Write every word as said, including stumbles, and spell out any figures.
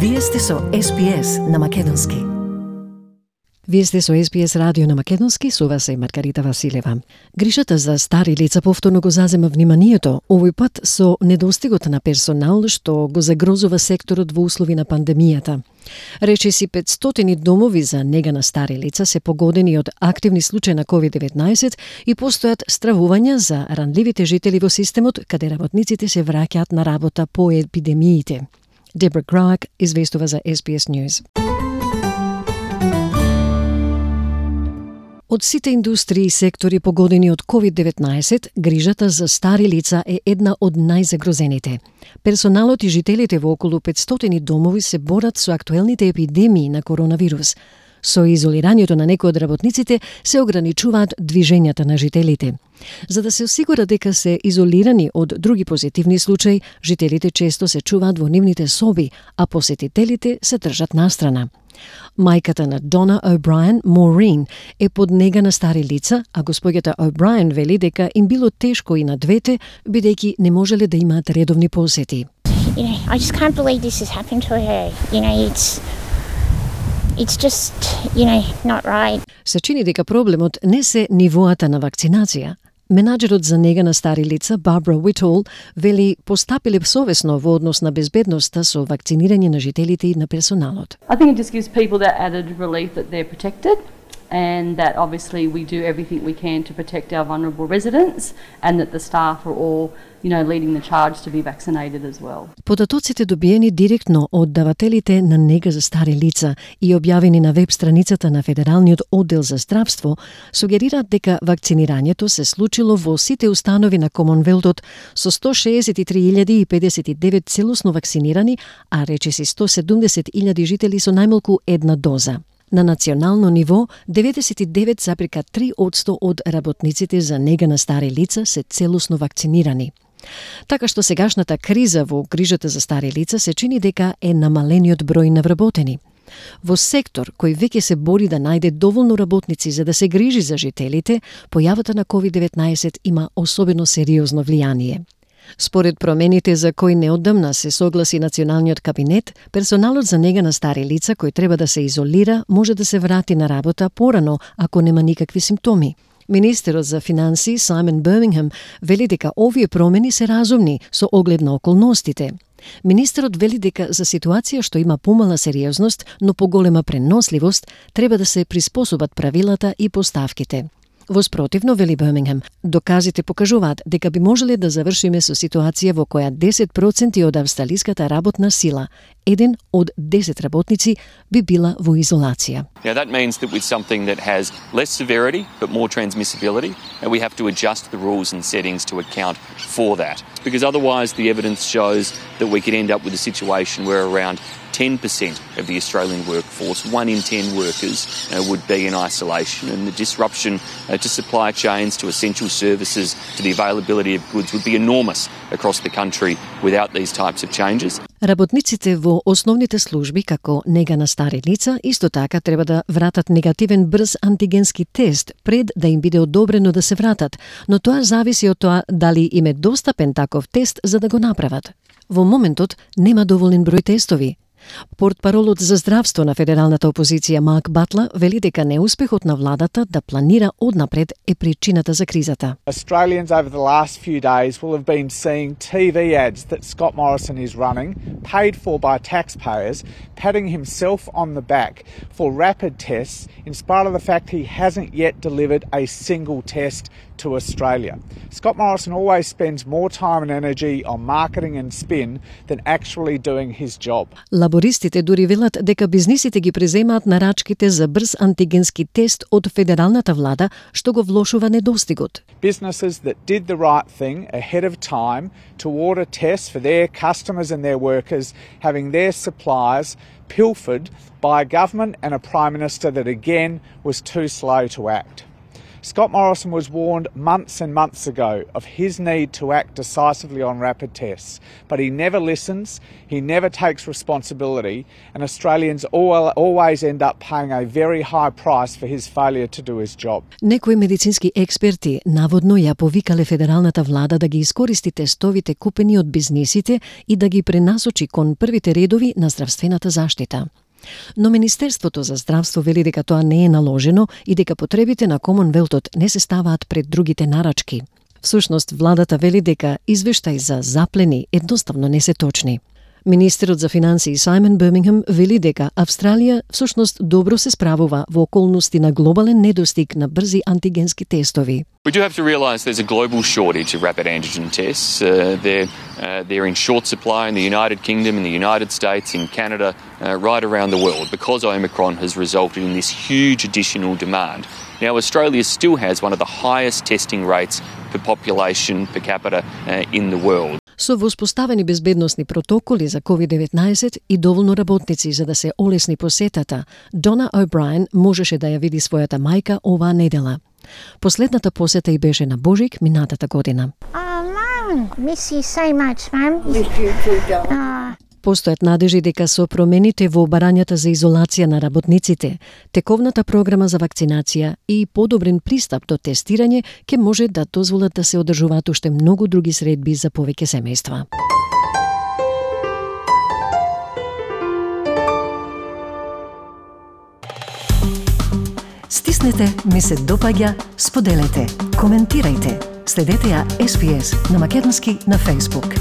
Вие сте со Ес Би Ес на Македонски. Вие сте со Ес Би Ес радио на Македонски, со вас е Маргарита Василева. Грижата за стари лица повторно го зазема вниманието, овој пат со недостигот на персонал што го загрозува секторот во услови на пандемијата. Речиси петстотини домови за нега на стари лица се погодени од активни случаи на ковид деветнаесет и постојат стравувања за ранливите жители во системот, каде работниците се враќаат на работа по епидемиите. Дебра Граак известува за Ес Би Ес News. Од сите индустрии и сектори погодени од ковид деветнаесет, грижата за стари лица е една од најзагрозените. Персоналот и жителите во околу петстотини домови се борат со актуелните епидемии на коронавирус. Со изолирањето на некои од работниците се ограничуваат движењата на жителите. За да се осигура дека се изолирани од други позитивни случаи, жителите често се чуваат во нивните соби, а посетителите се држат настрана. Мајката на Дона О'Брајен, Морин, е под нега на стари лица, а господјата О'Брајен вели дека им било тешко и на двете, бидејќи не можеле да имаат редовни посети. You know, I just can't believe this has happened to her. You know, it's it's just, you know, not right. Се чини дека проблемот не се нивоата на вакцинација. Менаџерот за нега на стари лица, Барбара Уитол, вели постапиле совесно во однос на безбедноста со вакцинирање на жителите и на персоналот. I think it just gives people that added relief that they're protected and that obviously we do everything we can to protect our vulnerable residents and that the staff are all, you know, leading the charge to be vaccinated as well. Податоците добиени директно од давателите на нега за стари лица и објавени на веб страницата на Федералниот оддел за здравство сугерираат дека вакцинирањето се случило во сите установи на Комонвелтот со сто шеесет и три илјади педесет и девет целосно вакцинирани, а речиси сто седумдесет илјади жители со најмалку една доза. На национално ниво, деветдесет и девет зарез три одсто од работниците за нега на стари лица се целосно вакцинирани. Така што сегашната криза во грижата за стари лица се чини дека е намалениот број на вработени. Во сектор кој веќе се бори да најде доволно работници за да се грижи за жителите, појавата на ковид деветнаесет има особено сериозно влијание. Според промените за кои неодамна се согласи Националниот кабинет, персоналот за нега на стари лица кој треба да се изолира може да се врати на работа порано ако нема никакви симптоми. Министерот за финансии Саймон Бирмингем вели дека овие промени се разумни со оглед на околностите. Министерот вели дека за ситуација што има помала сериозност, но поголема преносливост, треба да се приспособат правилата и поставките. Воспротивно, вели Бирмингем, доказите покажуваат дека би можеле да завршиме со ситуација во која десет проценти од австралиската работна сила, еден од десет работници, би била во изолација. Now that means that with something that has less severity but more transmissibility, we have to adjust the rules and settings to account for that. Because otherwise the evidence shows that we could end up with a situation where around ten percent of the Australian workforce, one in ten workers, uh, would be in isolation, and the disruption uh, to supply chains, to essential services, to the availability of goods would be enormous across the country without these types of changes. Работниците во основните служби, како нега на стари лица, исто така треба да вратат негативен брз антигенски тест пред да им биде одобрено да се вратат, но тоа зависи од тоа дали им е достапен таков тест за да го направат. Во моментот нема доволен број тестови. Портпаролот за здравство на федералната опозиција Марк Батлер вели дека неуспехот на владата да планира однапред е причината за кризата. Australians over the last few days will have been seeing T V ads that Scott Morrison is running, paid for by taxpayers, patting himself on the back for rapid tests in spite of the fact he hasn't yet delivered a single test to Australia. Scott Morrison always spends more time and energy on marketing and spin than actually doing his job. Лабористите дури велат дека бизнисите ги преземаат нарачките за брз антигенски тест од федералната влада, што го влошува недостигот. Businesses that did the right thing ahead of time to order tests for their customers and their workers, having their supplies pilfered by a government and a Prime Minister that again was too slow to act. Scott Morrison was warned months and months ago of his need to act decisively on rapid tests, but he never listens, he never takes responsibility, and Australians always end up paying a very high price for his failure to do his job. Некои медицински експерти наводно ја повикале федералната влада да ги искористи тестовите купени од бизнисите и да ги пренасочи кон првите редови на здравствената заштита. Но Министерството за здравство вели дека тоа не е наложено и дека потребите на Комонвелтот не се ставаат пред другите нарачки. Всушност, владата вели дека извештаи за заплени едноставно не се точни. Министерот за финансии Саймон Бирмингем вели дека Австралија всушност добро се справува во околности на глобален недостиг на брзи антигенски тестови. We do have to realise there's a global shortage of rapid antigen tests. Uh, they're, uh, they're in short supply in the United Kingdom, in the United States, in Canada, uh, right around the world because Omicron has resulted in this huge additional demand. Now, Australia still has one of the highest testing rates per population per capita uh, in the world. Со воспоставени безбедносни протоколи за ковид деветнаесет и доволно работници за да се олесни посетата, Дона О'Брајен можеше да ја види својата мајка оваа недела. Последната посета и беше на Божик минатата година. Oh, Mum, miss you so much, Mum. Miss you too, darling. Постојат надежи дека со промените во барањата за изолација на работниците, тековната програма за вакцинација и подобрен пристап до тестирање ќе може да дозволат да се одржуваат уште многу други средби за повеќе семејства. Стиснете, ми се допаѓа, споделете, коментирајте. Следете ја Ес Би Ес на македонски на Facebook.